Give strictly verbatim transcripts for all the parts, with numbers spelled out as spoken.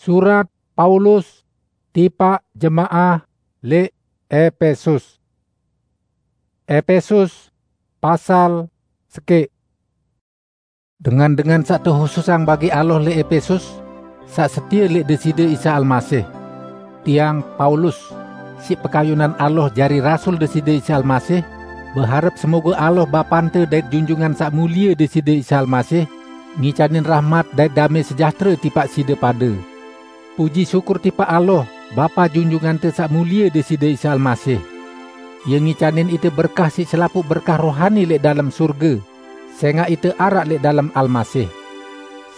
Surat Paulus tipaq jemaah leq Epesus. Epesus, pasal sekeq. Dengan-dengan saq tehususang bagi Allah leq Epesus, saq setie leq Deside Isa Almasih. Tiang, Paulus, siq pekayunan Allah jari rasul Deside Isa Almasih, beharep semoge Allah Bapante dait Junjungan Saq Mulie Deside Isa Almasih, ngicanin rahmat dait dame sejahtere tipaq side pade. Puji syukur tipaq Allah, Bapa Junjungante Saq Mulie Deside Isa Almasih. Ie ngicanin ite berkah siq selapuq berkah rohani leq dalem surge, sengaq ite araq leq dalem Almasih.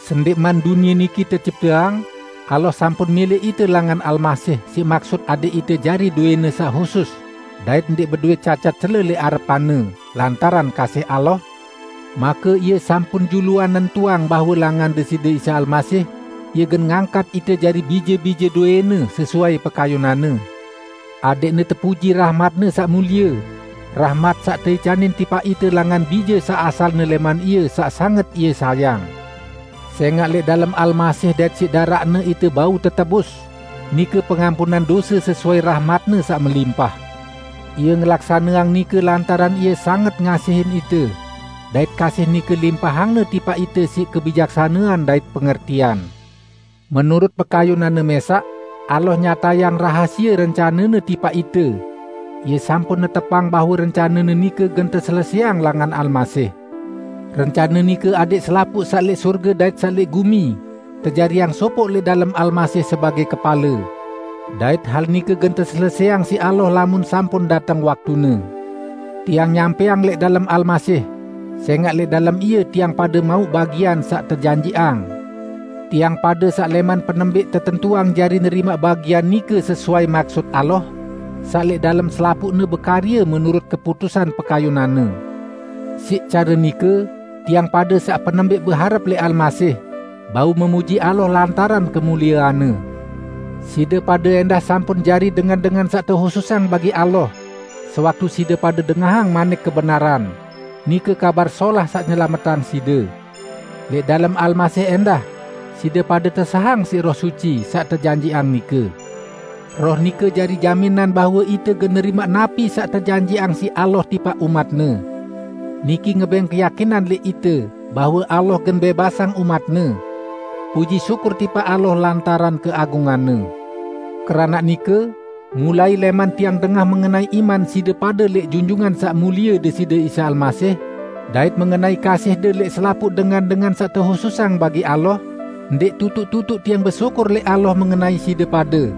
Sendeqman dunie niki tecipteang, Allah sampun milih ite langan Almasih siq maksut adaq ite jari doene saq husus, dait ndeq bedoe cacat cele leq arepan-Ne lantaran kasih Allah, make Ie sampun juluan nentuang bahwe langan Deside Isa Almasih, Ie gen ngangkat ite jari bije-bije doene sesuai pekayunan-Ne. Adeqne tepuji rahmat-Ne saq mulie, rahmat saq teicanin tipaq ite langan bije saq asalne leman Ie saq sanget Ie sayang. Sengaq leq dalem Almasih dait siq daraq-Ne ite bau tetebus, nike pengampunan dose sesuai rahmat-Ne saq melimpah. Ie ngelaksaneang nike lantaran Ie sanget ngasihin ite, dait kasih nike limpahang-Ne tipaq ite siq kebijaksanean dait pengertian. Menurut pekayunan-Ne mesaq, Allah nyatayang rahasie rencane-Ne tipaq ite. Ie sampun netepang bahwe rencane-Ne nike gen teseleseang langan Almasih. Rencane nike adeq selapuq saq leq surge dait saq leq gumi tejariang sopoq leq dalem Almasih sebagei kepale. Dait hal nike gen teseleseang siq Allah lamun sampun dateng waktune. Tiang nyampeang leq dalem Almasih, sengaq leq dalem Ie tiang pade mauq bagian saq tejanjiqang. Tiang pade saq leman penembeq tetentuang jari nerimaq bagian nike sesuai maksut Allah, saq leq dalem selapuqne bekarye menurut keputusan pekayunan-Ne. Siq care nike, tiang pade saq penembeq beharep leq Almasih, bau memuji Allah lantaran kemuliean-Ne. Side pade endah sampun jari dengan-dengan saq tehususang bagi Allah, sewaktu side pade dengahang manik kebenaran, nike Kabar Solah saq nyelametang side. Leq dalem Almasih endah, side pade tesahang siq Roh Suci saq tejanjiqang nike. Roh nike jari jaminan bahwe ite gen nerimaq napi saq tejanjiqang siq Allah tipaq umat-Ne. Niki ngebeng keyakinan leq ite bahwe Allah gen bebasang umat-Ne. Puji syukur tipaq Allah lantaran keagungan-Ne. Keranaq nike, mulai leman tiang dengah mengenai iman side pade leq Junjungan Saq Mulie Deside Isa Almasih, dait mengenai kasihde leq selapuq dengan-dengan saq tehususang bagi Allah, ndeq tutuq-tutuq tiang besyukur leq Allah mengenai side pade.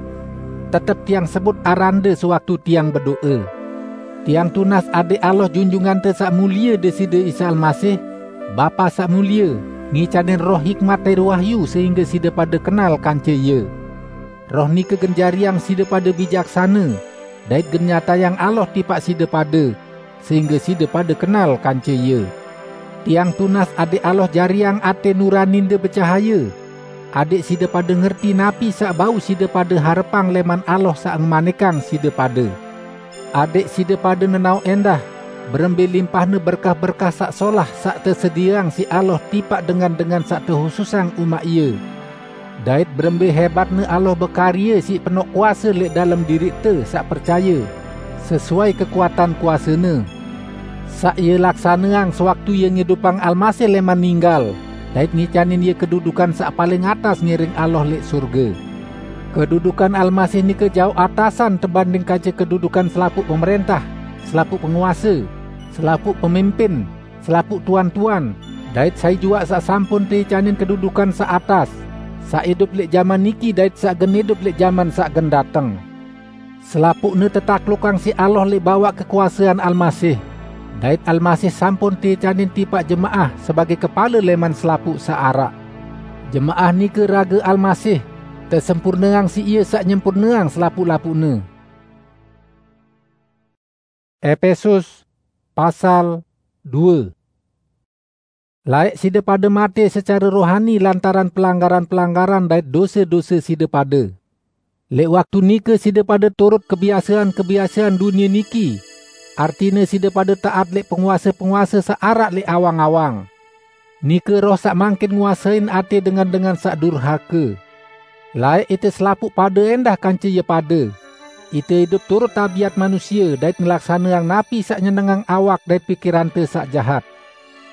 Tetep tiang sebut arande sewaktu tiang bedoe. Tiang tunas adaq Allah Junjungante Saq Mulie Deside Isa Almasih, Bapa saq mulie, ngicanin roh hikmat dait wahyu sehingge side pade kenal kance Ie. Roh nike gen jariang side pade bijaksane, dait gen nyatayang Allah tipaq side pade, sehingge side pade kenal kance Ie. Tiang tunas adaq Allah jariang ate nuraninde becahaye, adaq side pade ngerti napi saq bau side pade harepang leman Allah saq ngemanikang side pade. Adaq side pade nenaoq endah, berembe limpahne berkah-berkah saq solah saq tesedieang siq Allah tipaq dengan-dengan saq tehususang umaq Ie. Dait berembe hebatne Allah bekarye siq penoq kuase leq dalem diriqte saq percaye, sesuai kekuatan kuase-Ne, saq Ie laksaneang sewaktu Ie ngidupang Almasih leman ninggal, dait ngicanin Ie kedudukan saq paling atas ngiring Allah leq surge. Kedudukan Almasih nike jaoq atasan tebanding kance kedudukan selapuq pemerentah, selapuq penguase, selapuq pemimpin, selapuq tuan-tuan, dait sai juaq saq sampun teicanin kedudukan saq atas, saq idup leq jaman niki dait saq gen idup leq jaman saq gen dateng. Selapuqne tetaklukang siq Allah leq bawaq kekuasean Almasih, dait Almasih sampun teicanin tipaq jemaah sebagei kepale leman selapuq saq araq. Jemaah nike rage Almasih, tesempurneang siq Ie saq nyempurneang selapuq-lapuqne. Epesus, pasal due. Laeq side pade mate secare rohani lantaran pelanggaran-pelanggaran dait dose-dose side pade. Leq waktu nike side pade turut kebiasean-kebiasean dunie niki, artine side pade taat leq penguase-penguase saq araq leq awang-awang. Nike roh saq mangkin nguasein ate dengan-dengan saq durhake. Laeq ite selapuq pade endah kance ie pade. Ite idup turut tabiat manusie dait ngelaksaneang napi saq nyenengang awak dait pikirante saq jahat.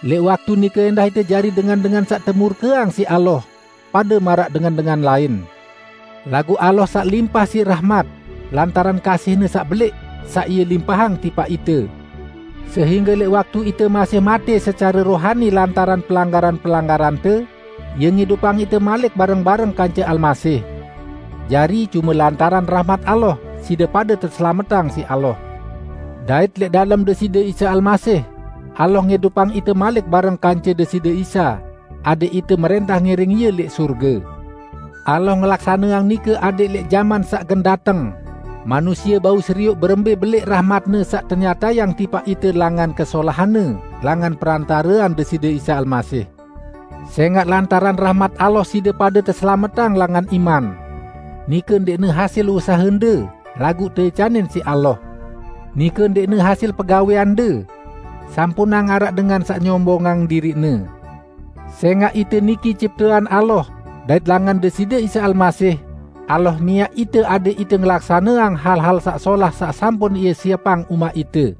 Leq waktu nike endah ite jari dengan-dengan saq temurkeang siq Allah, pade maraq dengan-dengan lain. Laguq Allah saq limpah siq rahmat, lantaran kasih-Ne saq beleq, saq Ie limpahang tipaq ite, sehingge leq waktu ite masih mate secare rohani lantaran pelanggaran-pelanggarante, Ie ngidupang ite malik bareng-bareng kance Almasih. Jari, cume lantaran rahmat Allah, side pade teselametang siq Allah. Dait leq dalem Deside Isa Almasih, Allah ngidupang ite malik bareng kance Deside Isa, adẽq ite merẽntah ngiring Ie leq surge. Allah ngelaksaneang nike adẽq leq jaman saq gen dateng, manusie bau serioq berembe beleq rahmat-Ne saq tenyatayang tipaq ite langan kesolahan-Ne langan perantarean Deside Isa Almasih. Sengaq lantaran rahmat Allah side pade teselametang langan iman. Nike ndeqne hasil usahende, laguq teicanin siq Allah. Nike ndeqne hasil pegawẽande, sampunang araq dengan saq nyombongang diriqne. Sengaq ite niki ciptean Allah, dait langan Deside Isa Almasih, Allah miaq ite adẽq ite ngelaksaneang hal-hal saq solah saq sampun Ie siepang umaq ite.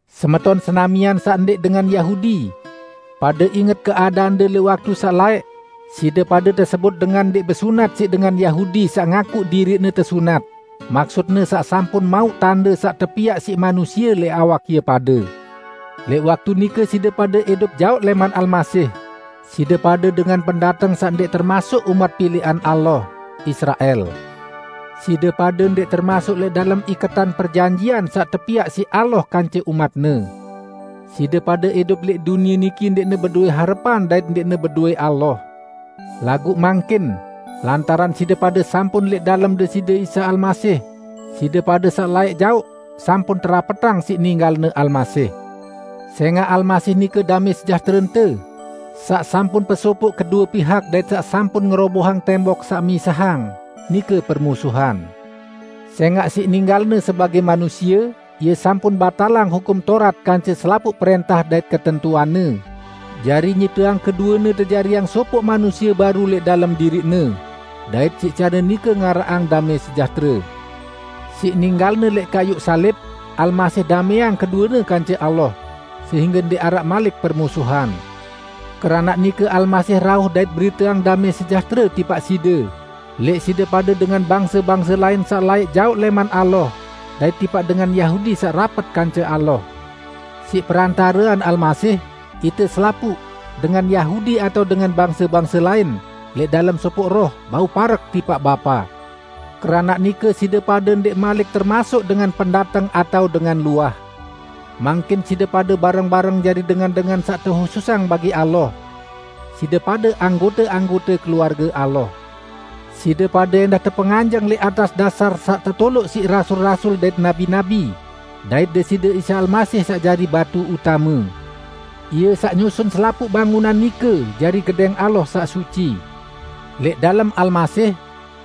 Semeton senamian saq ndẽq dengan Yahudi, pade inget keadaande leq waktu saq laeq, side pade tesebut dengan ndẽq besunat siq dengan Yahudi saq ngakuq diriqne tesunat, maksutne saq sampun mauq tande saq tepiaq siq manusie leq awak ie pade. Leq waktu nike side pade idup jaoq leman Almasih. Side pade dengan pendateng saq ndẽq termasuk umat pileqan Allah, Israel. Side pade ndẽq termasuk lẽq dalem iketan perjanjian saq tepiaq siq Allah kance umat-Ne. Side pade idup leq dunie niki ndẽqne bedowe harepan dait ndẽqne bedowe Allah. Laguq mangkin, lantaran side pade sampun lẽq dalem Deside Isa Almasih, side pade saq laeq jaoq sampun terapetang siq ninggalne Almasih. Sengaq Almasih nike damẽ sejahterente, saq sampun pesopoq kedue pihak dait saq sampun ngerobohang tembok saq misahang, nike permusuhan. Sengaq siq ninggalne sebagẽ manusie, Ie sampun batalang Hukum Taurat kance selapuq prẽntah dait ketentuanne, jari nyipteang keduene tejariang sopoq manusie baru lẽq dalem diriqne, dait siq care nike ngaraqang damẽ sejahtere. Siq ninggalne lẽq kayuq salib, Almasih damẽang keduene kance Allah, sehingge ndẽq araq malik permusuhan. Keranaq nike Almasih rauh dait beriteang damẽ sejahtere tipaq side, lẽq side pade dengan bangse-bangse lain saq laeq jaoq lẽman Allah, dait tipaq dengan Yahudi saq rapet kance Allah. Siq perantarean Almasih, ite selapuq, dengan Yahudi atao dengan bangse-bangse lain, lẽq dalem sopoq roh, bau parek tipaq Bapa. Keranaq nike side pade ndẽq malik termasuk dengan pendateng atao dengan luah. Mangkin side pade bareng-bareng jari dengan-dengan saq tehususang bagi Allah. Side pade anggote-anggote keluarge Allah. Side pade endah tepenganjeng lẽq atas dasar saq tetoloq siq rasul-rasul dait nabi-nabi, dait Deside Isa Almasih saq jari batu utame. Ie saq nyusun selapuq bangunan nike jari gedẽng Allah saq suci. Lẽq dalem Almasih,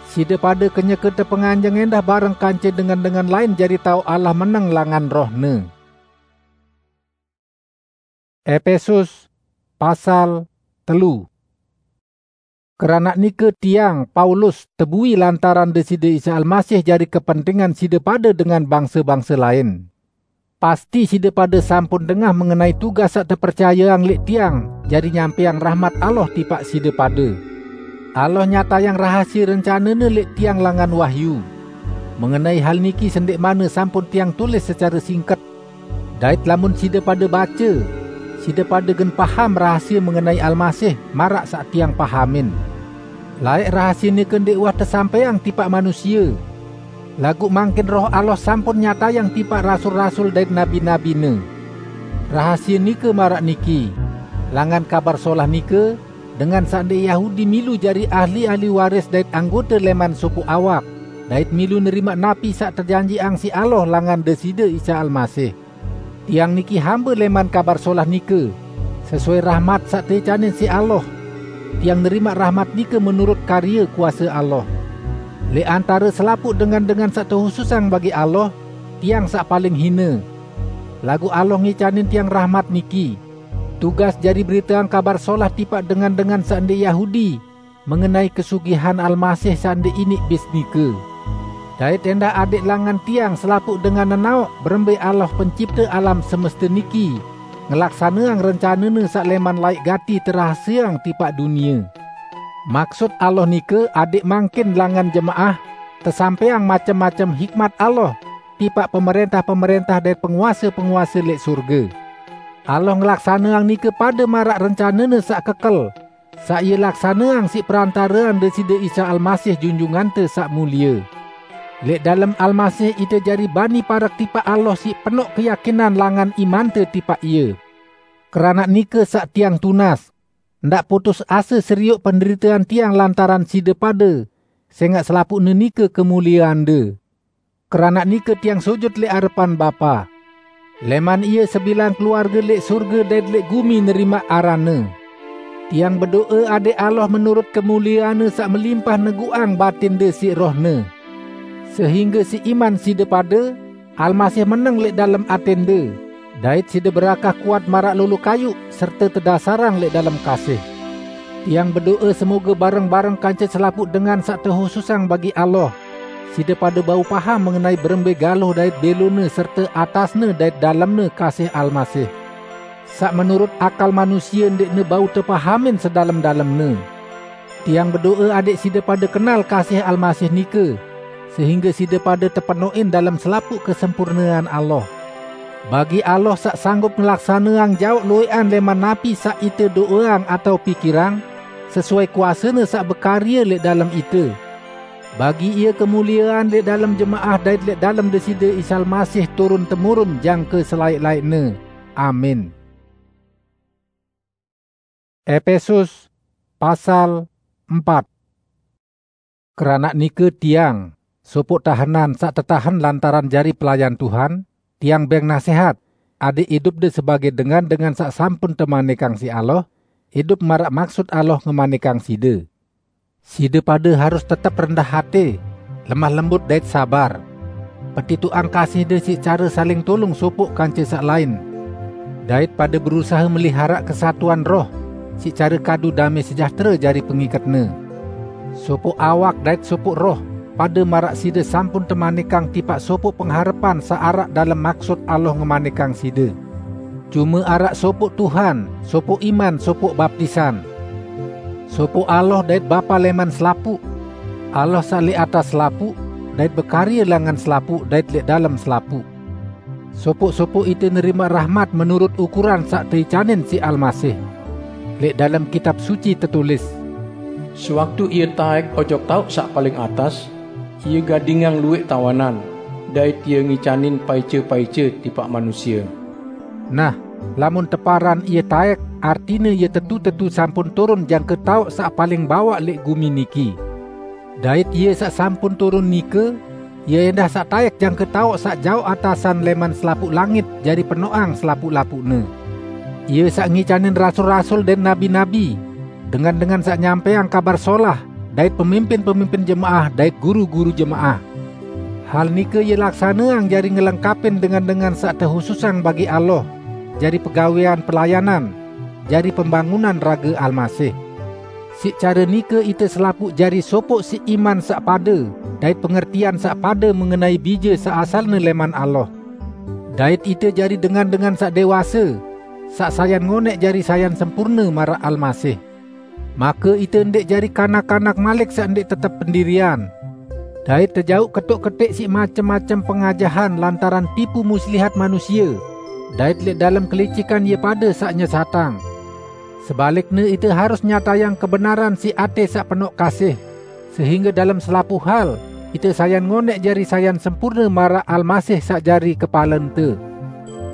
side pade kenyeke tepenganjeng endah bareng kance dengan-dengan lain jari taoq Allah meneng langan Roh-Ne. Epesus, pasal telu. Keranaq nike tiang, Paulus, tebui lantaran Deside Isa Almasih jari kepentingan side pade dengan bangse-bangse lain. Pasti side pade sampun dengah mengenai tugas saq tepercayeang lẽq tiang jari nyampẽang rahmat Allah tipaq side pade. Allah nyatayang rahasie rencane-Ne lẽq tiang langan wahyu. Mengenai hal niki sendẽqmanne sampun tiang tulis secare singket, dait lamun side pade bace, side pade gen paham rahasie mengenai Almasih maraq saq tiang pahamin. Laeq rahasie nike ndẽq uwah tesampẽang tipaq manusie, laguq mangkin Roh Allah sampun nyatayang tipaq rasul-rasul dait nabi-nabi-Ne. Rahasie nike maraq niki: Langan Kabar Solah nike, dengan saq ndẽq Yahudi milu jari ahli-ahli waris dait anggote lẽman sopoq awak, dait milu nerimaq napi saq tejanjiqang siq Allah langan Deside Isa Almasih. Tiang niki hambe lẽman Kabar Solah nike. Sesuai rahmat saq teicanin siq Allah, tiang nerimaq rahmat nike menurut karye kuase Allah. Lẽq antare selapuq dengan-dengan saq tehususang bagi Allah, tiang saq paling hine. Laguq Allah ngicanin tiang rahmat niki, tugas jari beriteang Kabar Solah tipaq dengan-dengan saq ndẽq Yahudi, mengenai kesugihan Almasih saq ndeq iniq bis nike. Dait endah adeq langan tiang selapuq dengan nenaoq berembe Allah Pencipte alam semeste niki ngelaksaneang rencane-Ne saq leman laeq gati terahaseang tipaq dunie. Maksut Allah nike adeq mangkin langan jemaah tesampaiang macem-macem hikmat Allah tipaq pemerentah-pemerentah dait penguase-penguase leq surge. Allah ngelaksaneang nike pade maraq rencane-Ne saq kekel, saq Ie laksaneang siq perantarean Deside Isa Almasih Junjungante Saq Mulie. Leq dalem Almasih ite jari bani parek tipaq Allah siq penoq keyakinan langan imante tipaq Ie. Keranaq nike saq tiang tunas, ndaq putus ase serioq penderitean tiang lantaran side pade, sengaq selapuqne nike kemulieande. Keranaq nike tiang sujut leq arepan Bapa. Leman Ie sebilang keluarge leq surge dait leq gumi nerimaq aranne. Tiang bedoe adeq Allah menurut kemulieanne saq melimpah neguqang batinde siq Rohne, sehingge siq iman side pade, Almasih meneng leq dalem atende, dait side berakah kuat maraq lolo kayuq serte tedasarang leq dalem kasih. Tiang bedoe semoge bareng-bareng kance selapuq dengan saq tehususang bagi Allah, side pade bau paham mengenai berembe galoh dait belone serte atasne dait dalemne kasih Almasih, saq menurut akal manusie ndeqne bau tepahamin sedalem-dalemne. Tiang bedoe adeq side pade kenal kasih Almasih nike, sehingge side pade tepenoqin dalem selapuq kesempurnean Allah. Bagi Allah saq sanggup ngelaksaneang jaoq lueqan leman napi saq ite doeang atao pikirang, sesuai kuase-Ne saq bekarye leq dalem ite. Bagi Ie kemuliean leq dalem jemaah dait leq dalem Deside Isa Almasih turun-temurun jangke selaeq-laeqne. Amin. Epesus pasal empat. Keranaq nike tiang, sopoq tahenan saq tetahen lantaran jari pelayan Tuhan, tiang beng nasehat, adeq idupde sebage dengan-dengan saq sampun temanikang siq Allah, idup maraq maksut Allah ngemanikang side. Side pade harus tetep rendah ate, lemah lembut dait sabar. Petitoqang kasihde siq care saling tulung sopoq kance saq lain, dait pade berusahe meliharaq kesatuan roh siq care kadu dame sejahtere jari pengiketne. Sopoq awak dait sopoq roh, pade maraq side sampun temanikang tipaq sopoq pengharepan saq araq dalem maksut Allah ngemanikang side. Cume araq sopoq Tuhan, sopoq iman, sopoq baptisan. Sopoq Allah dait Bapa leman selapuq, Allah saq leq atas selapuq, dait bekarye langan selapuq dait leq dalem selapuq. Sopoq-sopoq ite nerimaq rahmat menurut ukuran saq teicanin siq Almasih. Leq dalem Kitab Suci tetulis, "Sewaktu Ie taek ojok taoq saq paling atas, Ie gadingang lueq tawanan, dait Ie ngicanin paice-paice tipaq manusie." Nah, lamun teparan Ie taek, artine Ie tetu-tetu sampun turun jangke taoq saq paling bawaq leq gumi niki. Dait Ie saq sampun turun nike, Ie endah saq taek jangke taoq saq jaoq atasan leman selapuq langit jari penoqang selapuq-lapuqne. Ie saq ngicanin rasul-rasul dait nabi-nabi, dengan-dengan saq nyampaiang Kabar Solah, dait pemimpin-pemimpin jemaah dait guru-guru jemaah. Hal nike Ie laksaneang jari ngelengkapin dengan-dengan saq tehususang bagi Allah, jari pegawean pelayanan, jari pembangunan rage Almasih. Siq care nike ite selapuq jari sopoq siq iman saq pade dait pengertian saq pade mengenai Bije saq asalne leman Allah. Dait ite jari dengan-dengan saq dewase, saq sayan ngoneq jari sayan sempurne maraq Almasih. Make ite ndeq jari kanak-kanak malik saq ndeq tetep pendirian, dait tejauq ketoq-keteq siq macem-macem pengajahan lantaran tipu muslihat manusie, dait leq dalem kelicikan ie pade saq nyesatang. Sebalikne, ite harus nyatayang kebenaran siq ate saq penoq kasih, sehingge dalem selapuq hal ite sayan ngoneq jari sayan sempurne maraq Almasih saq jari kepalente.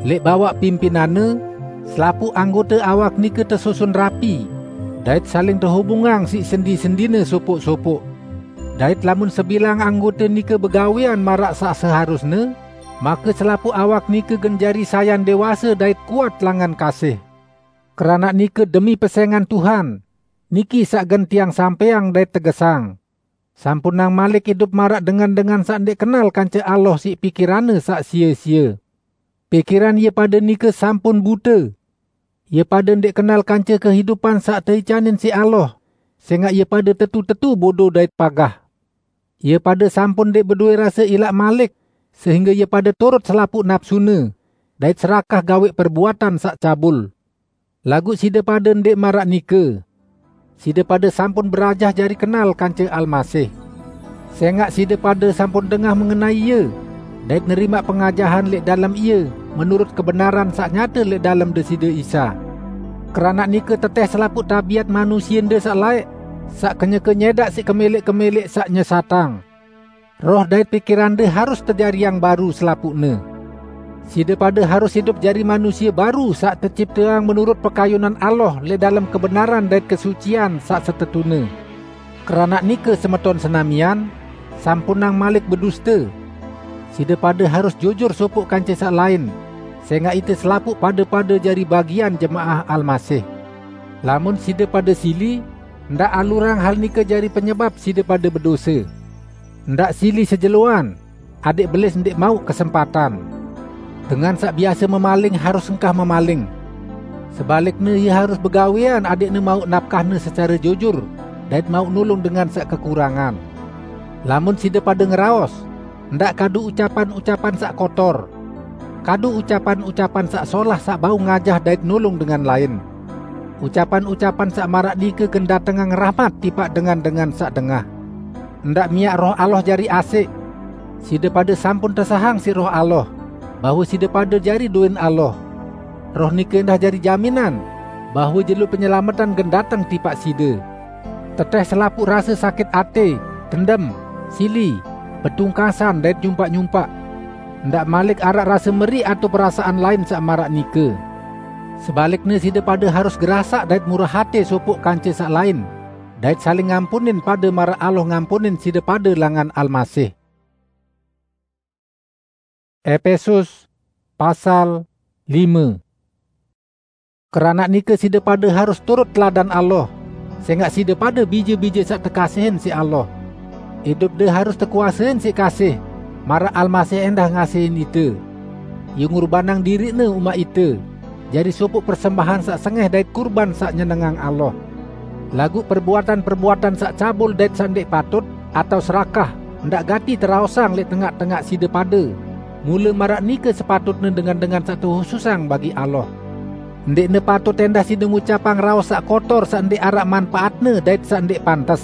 Leq bawaq pimpinanne, selapuq anggote awak nike tesusun rapi, dait saling tehubungang siq sendi-sendine sopoq-sopoq. Dait lamun sebilang anggote nike begawean maraq saq seharusne, make selapuq awak nike gen jari sayan dewase dait kuat langan kasih. Keranaq nike demi pesengan Tuhan, niki saq gen tiang sampeang dait tegesang. Sampunang malik idup maraq dengan-dengan saq ndeq kenal kance Allah siq pikiranne saq sie-sie. Pikiran ie pade nike sampun bute. Ie pade ndeq kenal kance kehidupan saq teicanin siq Allah, sengaq ie pade tetu-tetu bodo dait pagah. Ie pade sampun ndeq bedoe rase ilaq malik, sehingge ie pade turut selapuq napsune, dait serakah gaweq perbuatan saq cabul. Laguq side pade ndeq maraq nike. Side pade sampun berajah jari kenal kance Almasih. Sengaq side pade sampun dengah mengenai Ie, dait nerimaq pengajahan leq dalem Ie menurut kebenaran saq nyate leq dalem Deside Isa. Keranaq nike teteh selapuq tabiat manusiende saq laeq, saq kenyeke nyedaq siq kemeleq-kemeleq saq nyesatang. Roh dait pikirande harus tejariang baru selapuqne. Side pade harus idup jari manusie baru saq tecipteang menurut pekayunan Allah leq dalem kebenaran dait kesucian saq setetune. Keranaq nike, semeton senamian, sampunang malik beduste. Side pade harus jujur sopoq kance saq lain, sengaq ite selapuq pade-pade jari bagian jemaah Almasih. Lamun side pade sili, ndaq alurang hal nike jari penyebap side pade bedose. Ndaq sili sejeloan, adeq belis ndeq mauq kesempatan. Dengan saq biase memaling harus engkah memaling. Sebalikne, ie harus begawean adeqne mauq napkahne secare jujur dait mauq nulung dengan saq kekurangan. Lamun side pade ngeraos, ndaq kadu ucapan-ucapan saq kotor. Kadu ucapan-ucapan saq solah saq bau ngajah dait nulung dengan lain. Ucapan-ucapan saq maraq nike gen datengang rahmat tipaq dengan-dengan saq dengah. Ndaq miaq Roh Allah jari asik. Side pade sampun tesahang siq Roh Allah, bahwe side pade jari duen Allah. Roh nike endah jari jaminan, bahwe jelo penyelametan gen dateng tipaq side. Teteh selapuq rase sakit ate, dendem, sili, betungkasan dait nyumpaq-nyumpaq. Ndaq malik araq rase meriq atao perasaan lain saq maraq nike. Sebalikne, side pade harus gerasaq dait murah ate sopoq kance saq lain, dait saling ngampunin pade maraq Allah ngampunin side pade langan Almasih. Epesus pasal lime. Keranaq nike side pade harus turut teladan Allah, sengaq side pade bije-bije saq tekasihin siq Allah. Idupde harus tekuasein siq kasih, maraq Almasih endah ngasihin ite. Ie ngurbanang diriqne umaq ite, jari sopoq persembahan saq sengeh dait kurban saq nyenengang Allah. Laguq perbuatan-perbuatan saq cabul dait saq ndeq patut, atao serakah, ndaq gati teraosang leq tengaq-tengaq side pade, mule maraq nike sepatutne dengan-dengan saq tehususang bagi Allah. Ndeqne patut endah side ngucapang raos saq kotor saq ndeq araq manpaatne dait saq ndeq pantes.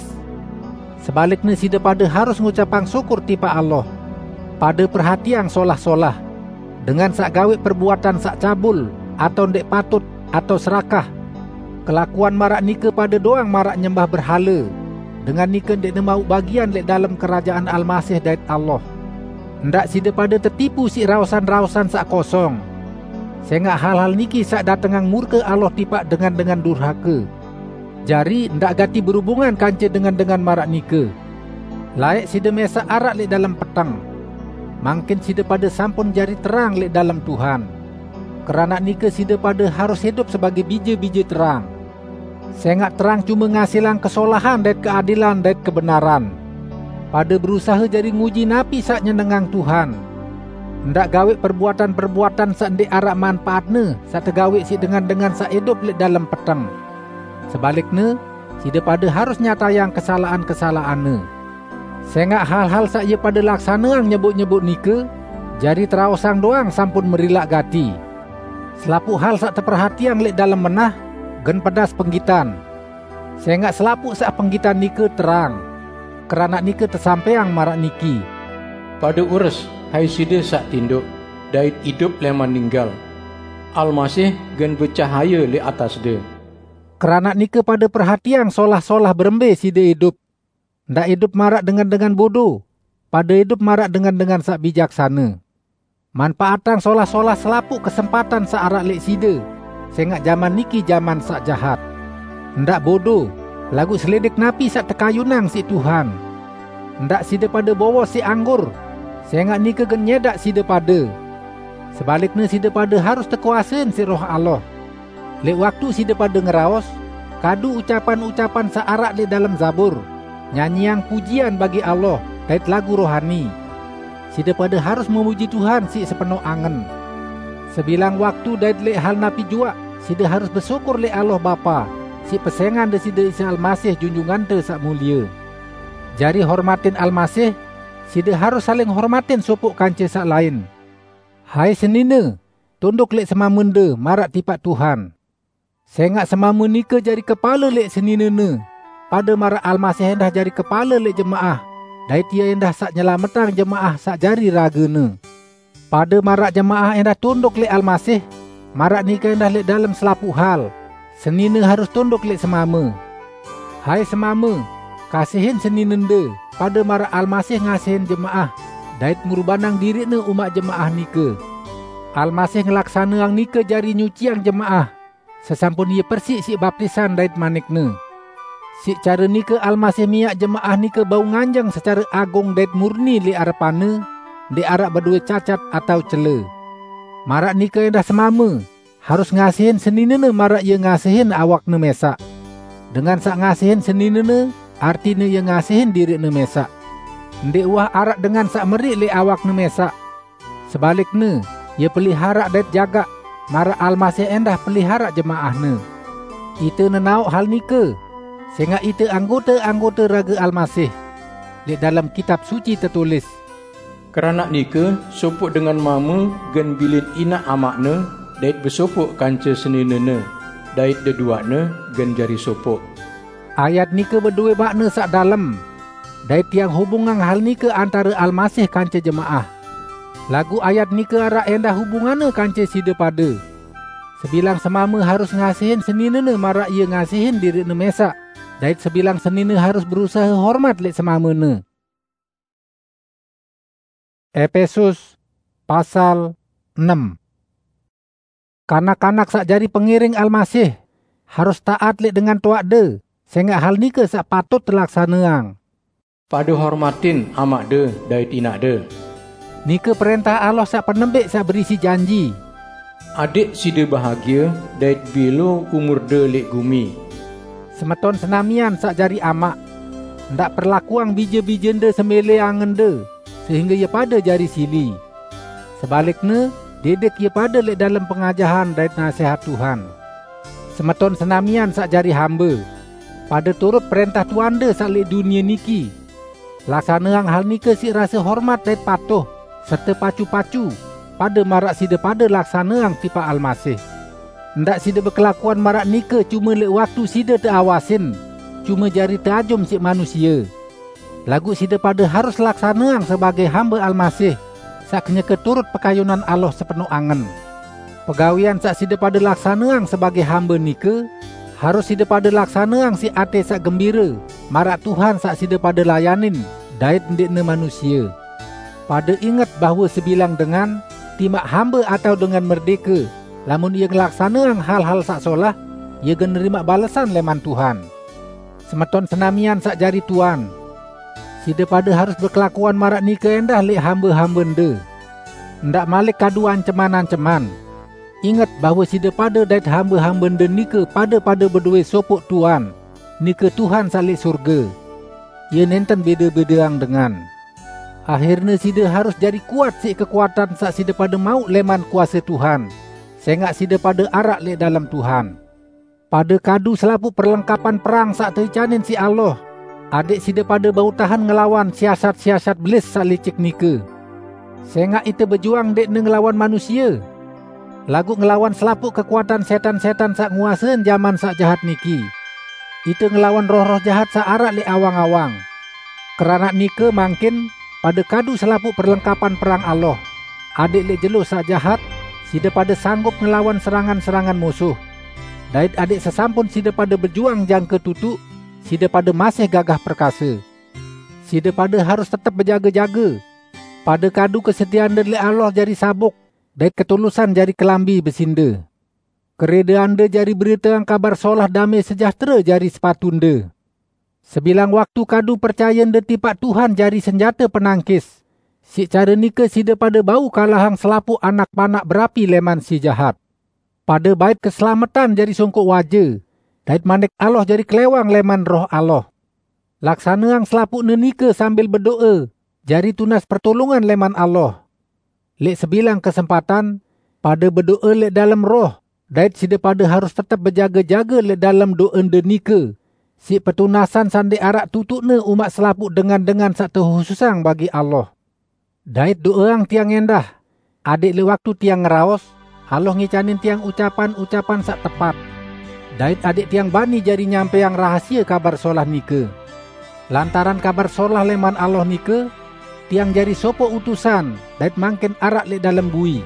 Sebalikne, side pade harus ngucapang syukur tipaq Allah. Pade perhatiang solah-solah. Dengan saq gaweq perbuatan saq cabul, atao ndeq patut, atao serakah. Kelakuan maraq nike pade doang maraq nyembah berhale. Dengan nike ndeqne mauq bagian leq dalem kerajaan Almasih dait Allah. Ndaq side pade tetipu siq raosan-raosan saq kosong. Sengaq hal-hal niki saq datengang murke Allah tipaq dengan-dengan durhake. Jari, ndaq gati berubungan kance dengan-dengan maraq nike. Laeq side mesaq araq leq dalem peteng. Mangkin side pade sampun jari terang leq dalem Tuhan. Keranaq nike side pade harus idup sebagei bije-bije terang. Sengaq terang cume ngasilang kesolahan dait keadilan dait kebenaran. Pade berusahe jari nguji napi saq nyenengang Tuhan. Ndaq gaweq perbuatan-perbuatan saq ndeq araq manpaatne saq tegaweq siq dengan-dengan saq idup leq dalem peteng. Sebalikne, side pade harus nyatayang kesalaqan-kesalaqanne. Sengaq hal-hal saq ie pade laksaneang nyeboq-nyeboq nike, jari teraosang doang sampun merilaq gati. Selapuq hal saq teperhatiang leq dalem menah, gen pedas penggitan. Sengaq selapuq saq penggitan nike terang. Keranaq nike tesampaiang maraq niki, "Pade ures, hai side saq tindoq, dait idup leman ninggal. Almasih gen becahaye leq atasde." Keranaq nike pade perhatiang solah-solah berembe side idup. Ndaq idup maraq dengan-dengan bodo, pade idup maraq dengan-dengan saq bijaksane. Manpaatang solah-solah selapuq kesempatan saq araq leq side, sengaq jaman niki jaman saq jahat. Ndaq bodo, laguq selidik napi saq tekayunang siq Tuhan. Ndaq side pade bowos siq anggur, sengaq nike gen nyedaq side pade. Sebalikne, side pade harus tekuasein siq Roh Allah. Leq waktu side pade ngeraos, kadu ucapan-ucapan saq araq leq dalem Zabur, nyanyiang pujian bagi Allah, dait lagu rohani. Side pade harus memuji Tuhan siq sepenoq angen. Sebilang waktu dait leq hal napi juaq, side harus besyukur leq Allah Bapa, siq pesengan Deside Isa Almasih Junjungante saq mulie. Jari hormatin Almasih, side harus saling hormatin sopoq kance saq lain. Hai senine, tunduk leq semamende maraq tipaq Tuhan. Sengaq semame nike jari kepale leq seninene, pade maraq Almasih endah jari kepale leq jemaah, dait Ie endah saq nyelametang jemaah saq jari ragene. Pade maraq jemaah endah tunduk leq Almasih, maraq nike endah leq dalem selapuq hal, senine harus tunduk leq semame. Hai semame, kasihin seninende, pade maraq Almasih ngasihin jemaah, dait ngurbanang diriqne umaq jemaah nike. Almasih ngelaksaneang nike jari nyuciang jemaah, sesampun Ie persiq siq baptisan dait manikne. Siq care nike Almasih miaq jemaah nike bau nganjeng secare agung dait murni leq arepan-Ne, ndeq araq bedowe cacat atao cele. Maraq nike endah semame, harus ngasihin seninene maraq ie ngasihin awakne mesaq. Dengan saq ngasihin seninene, artine ie ngasihin diriqne mesaq. Ndeq uwah araq dengan saq meriq leq awakne mesaq. Sebalikne, ie peliharaq dait jagaq, maraq Almasih endah peliharaq jemaah-Ne. Ite nenaoq hal nike, sengaq ite anggote-anggote rage Almasih. Leq dalem Kitab Suci tetulis, "Keranaq nike, sopoq dengan mame gen bilin inaq amaqne, dait besopoq kance seninene, dait deduaqne gen jari sopoq." Ayat nike bedowe makne saq dalem, dait tiang hubungang hal nike antare Almasih kance jemaah. Laguq ayat nike araq endah hubunganne kance side pade. Sebilang semame harus ngasihin seninene maraq ie ngasihin diriqne mesaq, dait sebilang senine harus berusahe hormat leq semamene. Epesus pasal enem. Kanak-kanak saq jari pengiring Almasih harus taat leq dengan toaqde, sengaq hal nike saq patut telaksaneang. "Pade hormatin amaqde dait inaqde." Nike perentah Allah saq penembik saq berisi janji. "Adek side bahagie dait bilo umurde leq gumi." Semeton senamian saq jari amaq, ndaq perlakuang bije-bijende semeleangende, sehingge ie pade jari sili. Sebalikne, didik ie pade leq dalem pengajahan dait nasehat Tuhan. Semeton senamian saq jari hambe, pade turut perentah tuande saq leq dunie niki. Laksaneang hal nike siq rase hormat dait patuh, serte pacu-pacu, pade maraq side pade laksaneang tipaq Almasih. Ndaq side bekelakuan maraq nike cume leq waktu side teawasin, cume jari teajum siq manusie. Laguq side pade harus laksaneang sebagei hambe Almasih, saq kenyeke turut pekayunan Allah sepenoq angen. Pegawean saq side pade laksaneang sebagei hambe nike, harus side pade laksaneang siq ate saq gembire, maraq Tuhan saq side pade layanin, dait ndeqne manusie. Pade inget bahwe sebilang dengan, timaq hambe atao dengan merdeke, lamun ie ngelaksaneang hal-hal saq solah, ie gen nerimaq balesan leman Tuhan. Semeton senamian saq jari tuan, side pade harus bekelakuan maraq nike endah leq hambe-hambende. Ndaq malik kadu anceman-anceman. Inget bahwe side pade dait hambe-hambende nike pade-pade bedowe sopoq Tuan, nike Tuhan saq leq sorge. Ie nenten bede-bedeang dengan. Ahirne side harus jari kuat siq kekuatan saq side pade mauq leman kuase Tuhan, sengaq side pade araq leq dalem Tuhan. Pade kadu selapuq perlengkapan perang saq teicanin siq Allah, adek side pade bau tahen ngelawan siasat-siasat Belis saq licik nike. Sengaq ite bejuang ndeqne ngelawan manusie, laguq ngelawan selapuq kekuatan setan-setan saq nguasein jaman saq jahat niki. Ite ngelawan roh-roh jahat saq araq leq awang-awang. Keranaq nike mangkin, pade kadu selapuq perlengkapan perang Allah, adek leq jelo saq jahat, side pade sanggup ngelawan serangan-serangan musuh. Dait adek sesampun side pade bejuang jangke tutuq, side pade masih gagah perkase. Side pade harus tetep bejage-jage. Pade kadu kesetiande leq Allah jari sabuk, dait ketulusan jari kelambi besinde. Keredeande jari beriteang Kabar Solah Dame Sejahtere jari sepatunde. Sebilang waktu kadu percayende tipaq Tuhan jari senjate penangkis. Siq care nike side pade bau kalahang selapuq anak panak berapi leman si jahat. Pade bait keselametan jari songkoq waje, dait Manik Allah jari klewang leman Roh Allah. Laksaneang selapuqne nike sambil bedoe, jari tunas pertulungan leman Allah. Leq sebilang kesempatan, pade bedoe leq dalem Roh, Dait side pade harus tetep bejage-jage leq dalem do'ende nike, siq petunasan saq ndeq araq tutuqne umaq selapuq dengan-dengan saq tehususang bagi Allah. Dait do'eang tiang endah, adẽq leq waktu tiang ngeraos, Allah ngicanin tiang ucapan-ucapan saq tepat, dait adẽq tiang bani jari nyampeang rahasie Kabar Solah nike. Lantaran Kabar Solah lẽman Allah nike, tiang jari sopoq utusan dait mangkin araq leq dalem bui.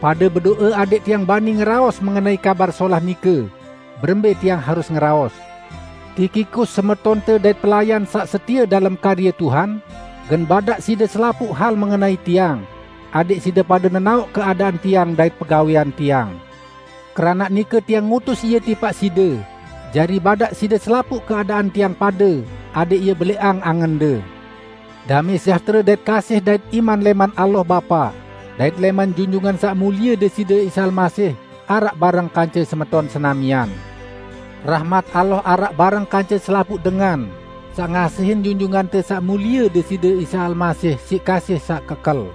Pade bedo'e adẽq tiang bani ngeraos mengenai Kabar Solah nike, berembe tiang harus ngeraos. Tikhikus, semetonte dait pelayan saq setie dalem karye Tuhan, gen badaq side selapuq hal mengenai tiang, adẽq side pade nenaoq keadaan tiang dait pegawẽan tiang. Keranaq nike tiang ngutus ie tipaq side, jari badaq side selapuq keadaan tiang pade, adẽq ie beleqang angende. Damẽ sejahtere dait kasih dait iman lẽman Allah Bapa, dait lẽman Junjungan Saq Mulie Deside Isa Almasih, araq bareng kance semeton senamian. Rahmat Allah araq bareng kance selapuq dengan, saq ngasihin Junjungante Saq Mulie Deside Isa Almasih siq kasih saq kekel.